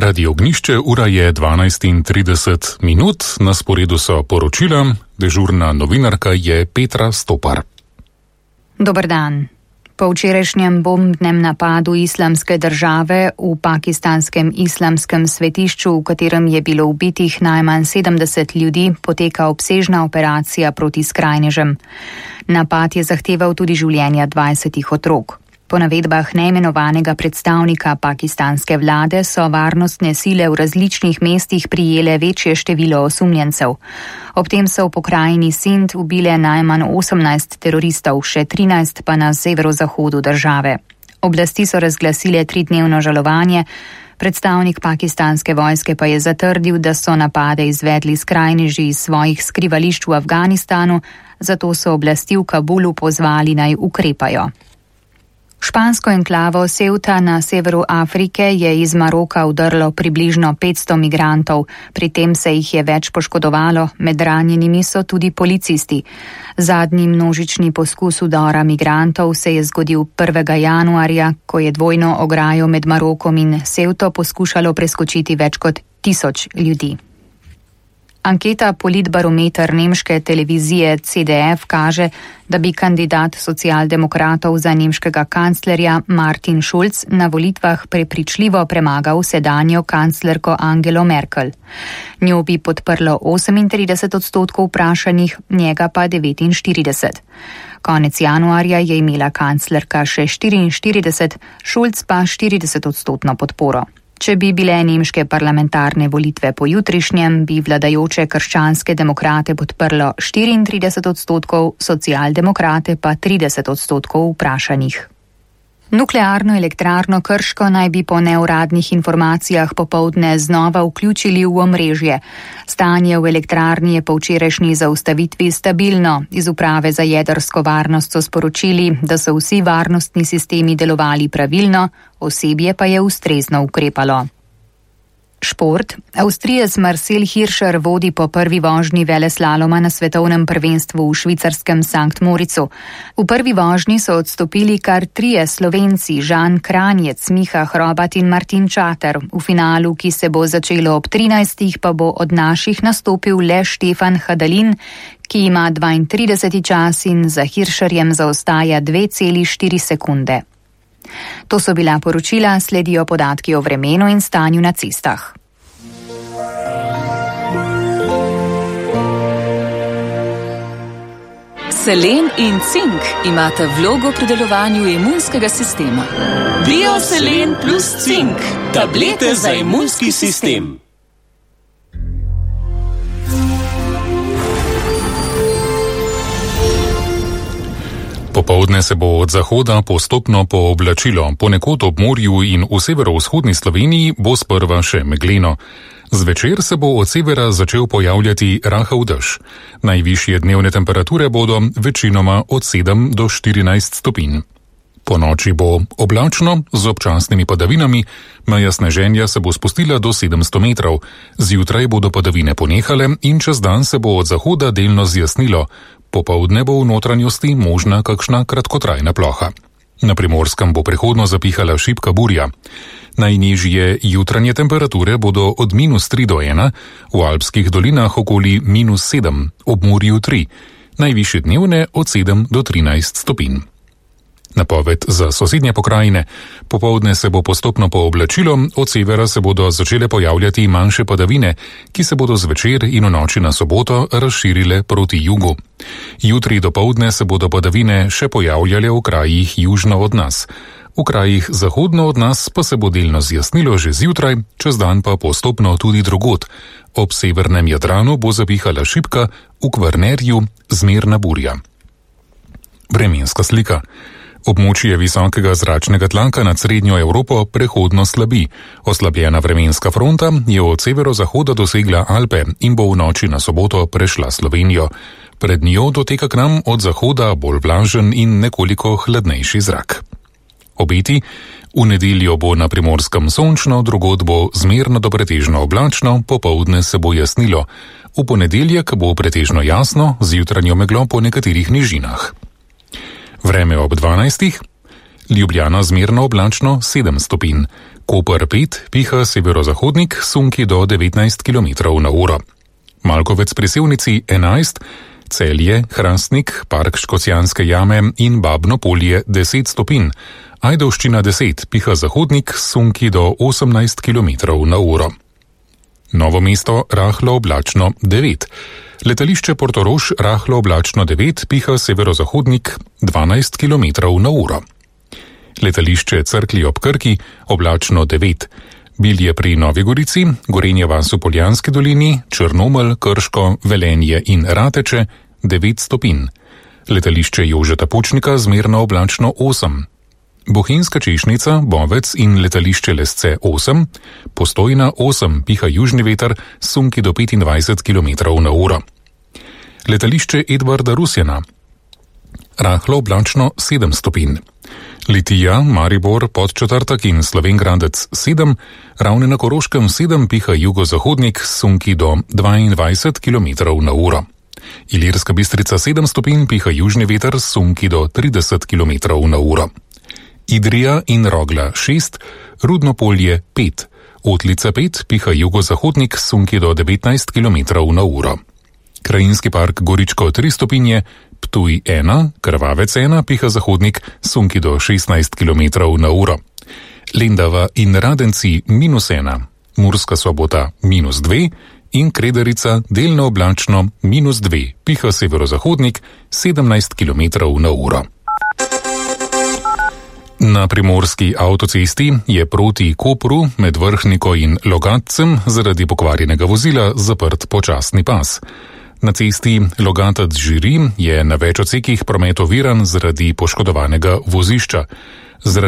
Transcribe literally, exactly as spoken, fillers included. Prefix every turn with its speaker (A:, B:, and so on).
A: Radio Ognišče, ura je dvanajst in trideset minut, na sporedu so poročila, dežurna novinarka je Petra Stopar.
B: Dober dan. Po včerajšnjem bombnem napadu Islamske države v pakistanskem islamskem svetišču, v katerem je bilo ubitih najmanj sedemdeset ljudi, poteka obsežna operacija proti skrajnežem. Napad je zahteval tudi življenja dvajsetih otrok. Po navedbah neimenovanega predstavnika pakistanske vlade so varnostne sile v različnih mestih prijele večje število osumljencev. Ob tem so v pokrajini Sind ubile najmanj osemnajst teroristov, še trinajst pa na severozahodu države. Oblasti so razglasile tridnevno žalovanje, predstavnik pakistanske vojske pa je zatrdil, da so napade izvedli skrajneži iz svojih skrivališč v Afganistanu, zato so oblasti v Kabulu pozvali naj ukrepajo. Špansko enklavo Ceuta na severu Afrike je iz Maroka udrlo približno petsto migrantov, pri tem se jih je več poškodovalo, med ranjenimi so tudi policisti. Zadnji množični poskus udora migrantov se je zgodil prvega januarja, ko je dvojno ograjo med Marokom in Ceuto poskušalo preskočiti več kot tisoč ljudi. Anketa Politbarometer nemške televizije C D F kaže, da bi kandidat socialdemokratov za nemškega kanclerja Martin Schulz na volitvah prepričljivo premagal sedanjo kanclerko Angelo Merkel. Njo bi podprlo osemintrideset odstotkov vprašanih, njega pa devetinštirideset. Konec januarja je imela kanclerka še štiriinštirideset, Schulz pa štirideset odstotno podporo. Če bi bile nemške parlamentarne volitve po jutrišnjem, bi vladajoče krščanske demokrate podprlo štiriintrideset odstotkov, socialdemokrate pa trideset odstotkov vprašanih. Nuklearno elektrarno Krško naj bi po neuradnih informacijah popoldne znova vključili v omrežje. Stanje v elektrarni je po včerajšnji zaustavitvi stabilno. Iz uprave za jedrsko varnost so sporočili, da so vsi varnostni sistemi delovali pravilno, osebje pa je ustrezno ukrepalo. Šport. Avstrijec Marcel Hirscher vodi po prvi vožnji veleslaloma na svetovnem prvenstvu v švicarskem Sankt Moricu. V prvi vožnji so odstopili kar trije Slovenci, Žan Kranjec, Miha Hrobat in Martin Čater. V finalu, ki se bo začelo ob trinajstih, pa bo od naših nastopil le Štefan Hadalin, ki ima dvaintrideseti čas in za Hirscherjem zaostaja dve celi štiri sekunde. To so bila poročila, sledijo podatki o vremenu in stanju na cestah.
C: Selen in cink imata vlogo pri delovanju imunskega sistema.
D: Bioselen plus cink, tablete za imunski sistem.
A: Popoldne se bo od zahoda postopno pooblačilo, ponekod ob morju in v severovzhodni Sloveniji bo sprva še megleno. Zvečer se bo od severa začel pojavljati rahel dež. Najvišje dnevne temperature bodo večinoma od sedem do štirinajst stopinj. Po noči bo oblačno z občasnimi padavinami, meja sneženja se bo spustila do sedemsto metrov. Zjutraj bodo padavine ponehale in čez dan se bo od zahoda delno zjasnilo. Popoldne bo v notranjosti možna kakšna kratkotrajna ploha. Na Primorskem bo prehodno zapihala šibka burja. Najnižje jutranje temperature bodo od minus tri do ena, v alpskih dolinah okoli minus sedem, ob morju tri, najvišje dnevne od sedem do trinajst stopinj. Napoved za sosednje pokrajine. Popoldne se bo postopno pooblačilo, od severa se bodo začele pojavljati manjše padavine, ki se bodo zvečer in v noči na soboto razširile proti jugu. Jutri dopoldne se bodo padavine še pojavljale v krajih južno od nas. V krajih zahodno od nas pa se bo delno zjasnilo že zjutraj, čez dan pa postopno tudi drugod. Ob severnem Jadranu bo zapihala šibka, v Kvarnerju zmerna burja. Vremenska slika. Območje visokega zračnega tlaka nad srednjo Evropo prehodno slabi. Oslabljena vremenska fronta je od severozahoda dosegla Alpe in bo v noči na soboto prešla Slovenijo. Pred njo doteka k nam od zahoda bolj vlažen in nekoliko hladnejši zrak. Obeti. V nedeljo bo na Primorskem sončno, drugod bo zmerno do pretežno oblačno, popoldne se bo jasnilo. V ponedeljek bo pretežno jasno, z jutranjo meglo po nekaterih nižinah. Vreme ob dvanajstih. Ljubljana zmerno oblačno sedem stopinj, Koper pet, piha severozahodnik, sunki do devetnajst kilometrov na uro. Malkovec pri Sevnici enajst, Celje, Hrastnik, Park Škocjanske jame in Babno polje deset stopinj, Ajdovščina deset, piha zahodnik, sunki do osemnajst kilometrov na uro. Novo mesto rahlo oblačno devet, letališče Portorož rahlo oblačno devet, piha severozahodnik dvanajst kilometrov na uro. Letališče Cerklje ob Krki oblačno devet, Bilje pri Novi Gorici, Gorenje vas v Poljanski dolini, Črnomelj, Krško, Velenje in Rateče devet stopinj. Letališče Jožeta Pučnika zmerno oblačno osem. Bohinjska Češnica, Bovec in letališče Lesce osem, Postojna osem, piha južni veter, sunki do petindvajset kilometrov na uro. Letališče Edvarda Rusjana, rahlo oblačno sedem stopinj. Litija, Maribor, Podčetrtek in Slovenj Gradec sedem, Ravne na Koroškem sedem, piha jugozahodnik, sunki do dvaindvajset kilometrov na uro. Ilirska Bistrica sedem stopinj, piha južni veter, sunki do trideset kilometrov na uro. Idrija in Rogla šest, Rudno polje pet, Otlica pet, piha jugozahodnik, sunki do devetnajst kilometrov na uro. Krajinski park Goričko tri stopinje, Ptuj ena, Krvavec ena, piha zahodnik, sunki do šestnajst kilometrov na uro. Lendava in Radenci minus ena, Murska Sobota minus dve in Kredarica delno oblačno minus dve, piha severozahodnik, sedemnajst kilometrov na uro. Na primorski avtocesti je proti Kopru med Vrhniko in Logatcem zaradi pokvarjenega vozila zaprt počasni pas. Na cesti Logatec-Žiri je na več odsekih promet oviran zaradi poškodovanega vozišča. Zaradi